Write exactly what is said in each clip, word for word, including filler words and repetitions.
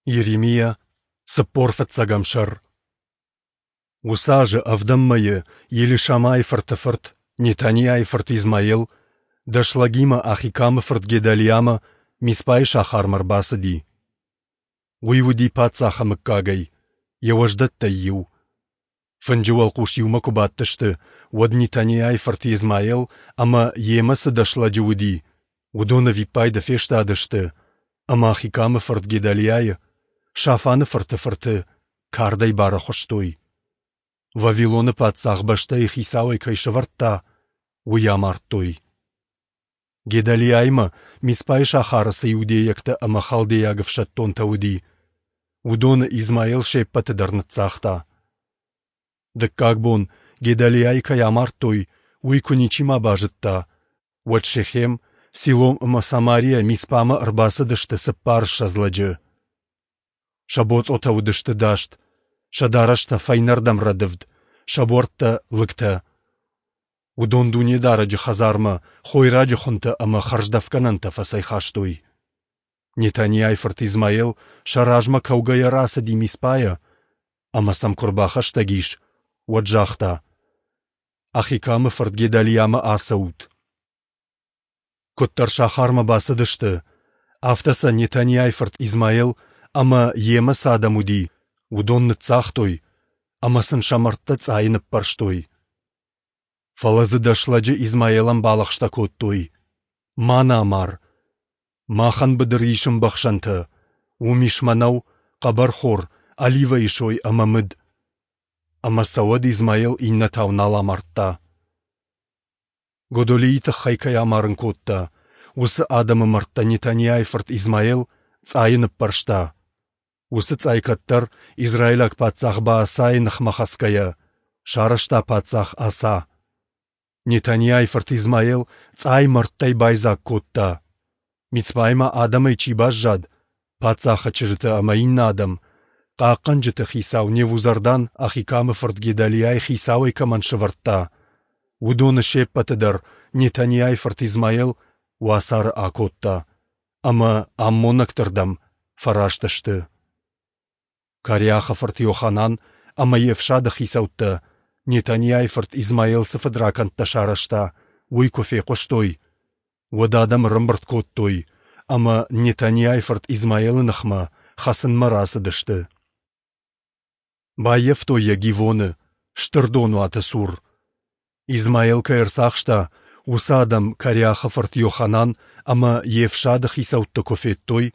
Йеремиа, цыппор фыццӕгӕм сӕр. Уыцы азы ӕвдӕм мӕйы Елишамайы фырты фырт, Нетаниайы фырт Измаел, дӕс лӕгимӕ Ахикамы фырт Гедалиамӕ Мицпайы сахармӕ ӕрбацыди. Уый уыди паддзахы мыггагӕй, йӕ уӕздӕттӕй иу. Фынджы уӕлхъус иумӕ куы бадтысты, уӕд Нетаниайы фырт Измаел ӕмӕ, йемӕ цы дӕс лӕджы уыди, уыдон ӕвиппайды фестадысты ӕмӕ Ахикамы фырт Гедалиайы, Шафаны фырты фырты, кардӕй барӕхуыстой. Вавилоны паддзах бӕстӕйы хицауӕй кӕй сӕвӕрдта, уый амардтой. Гедалиаимӕ Мицпайы сахары цы иудейӕгтӕ ӕмӕ халдейаг ӕфсӕддонтӕ уыди, уыдоны Измаил се ппӕты дӕр ныццагъта. Дыккаг бон, Гедалиайы кӕй амардтой, уый куы ничима базыдта, уӕд Шехем, Силом ӕмӕ Самарийӕ Мицпамӕ ӕрбацыдысты цыппарыссӕдз лӕджы. Сӕ боцъотӕ уыдысты даст, сӕ дарӕстӕ фӕйнӕрдӕм рӕдывд, сӕ буӕрттӕ лыгтӕ. Уыдон Дунедарӕджы хӕдзармӕ хойраджы хуынтӕ ӕмӕ хӕрздӕфгӕнӕнтӕ фӕцӕйхастой. Нетаниайы фырт Измаел сӕ размӕ кӕугӕйӕ рацыди Мицпайӕ, ӕмӕ сӕм куы ӕрбахӕстӕг ис, уӕд загъта: Ахикамы фырт Гедалиамӕ ацӕут. Куыддӕр сахармӕ бацыдысты, афтӕ сӕ Нетаниайы фырт Измаел ӕмӕ, йемӕ цы адӕм уыди, уыдон ныццагътой ӕмӕ сын сӕ мӕрдтӕ цъайы ныппӕрстой. Фӕлӕ дзы дӕс лӕджы Измаелӕн балӕгъстӕ кодтой: «Ма нӕ амар! Махӕн быдыры ис ӕмбӕхсӕнтӕ, уым ис мӕнӕу, хъӕбӕрхор, оливӕйы сой ӕмӕ мыд». Ӕмӕ сӕ уӕд Измаел иннӕтау нал амардта. Годолийы тыххӕй кӕй амарын кодта, уыцы адӕмы мӕрдтӕ Нетаниайы фырт Измаел цъайы ныппӕрста. Уыцы цъай кӕддӕр, израилаг паддзах Баасайы ныхмӕ хӕцгӕйӕ, сарӕзта паддзах Аса. Нетаниайы фырт Измаел цъай мӕрдтӕй байдзаг кодта. Мицпайы ма адӕмӕй чи баззад, паддзахы чызджытӕ ӕмӕ иннӕ адӕм, хъахъхъӕнджыты хицау Невузардан Ахикамы фырт Гедалиайы хицауӕй кӕмӕн сӕвӕрдта, уыдоны се ппӕты дӕр Нетаниайы фырт Измаел уацары акодта, ӕмӕ аммонӕгты рдӕм фӕраст сты. Кареахы фырт Йоханан ӕмӕ йе фсады хицӕуттӕ, Нетаниайы фырт Измаел цы фыдракӕндтӕ сарӕзта, уый куы фехъуыстой, уӕд адӕм ӕрӕмбырд кодтой ӕмӕ Нетаниайы фырт Измаелы ныхмӕ хӕцынмӕ рацыдысты. Баййӕфтой йӕ Гивоны, стыр донуаты цур. Измаел кӕй ӕрцахста, уыцы адӕм Кареахы фырт Йоханан ӕмӕ йе фсады хицӕутты куы федтой,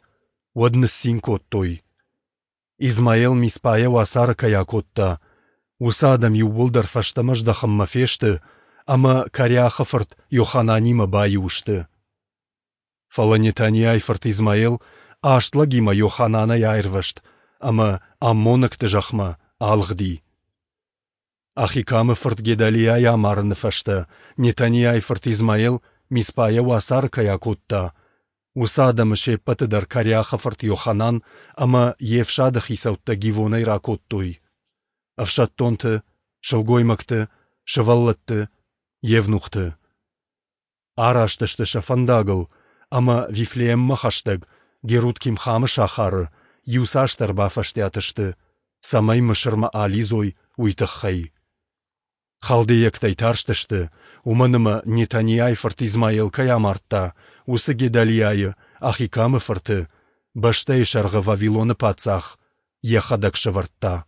уӕд ныццин кодтой. Измаел Мицпайӕ уацары кӕй акодта, уыцы адӕм иууылдӕр фӕстӕмӕ здӕхынмӕ фесты ӕмӕ Кареахы фырт Йохананимӕ баиу сты. Фӕлӕ Нетаниайы фырт Измаел аст лӕгимӕ Йохананӕй аирвӕзт ӕмӕ аммонӕгты зӕхмӕ алыгъди. Ахикамы фырт Гедалиайы амарыны фӕстӕ Нетаниайы фырт Измаел Мицпайӕ уацары кӕй акодта, уыцы адӕмы се ппӕты дӕр Кареахы фырт Йоханан ӕмӕ йе фсады хицӕуттӕ Гивонӕй ракодтой: ӕфсӕддонты, сылгоймӕгты, сывӕллӕтты, евнухты. Араст сты сӕ фӕндагыл ӕмӕ Вифлееммӕ хӕстӕг Герут-Кимхамы сахары иуцасдӕр бафӕстиат сты, цӕмӕй Мысырмӕ алидзой, уый тыххӕй. Халдейӕгтӕй тарстысты, уымӕн ӕмӕ Нетаниайы фырт Измаел кӕй амардта, уыцы Гедалиайы, Ахикамы фырты, бӕстӕйы сӕргъы Вавилоны паддзах йӕхӕдӕг сӕвӕрдта.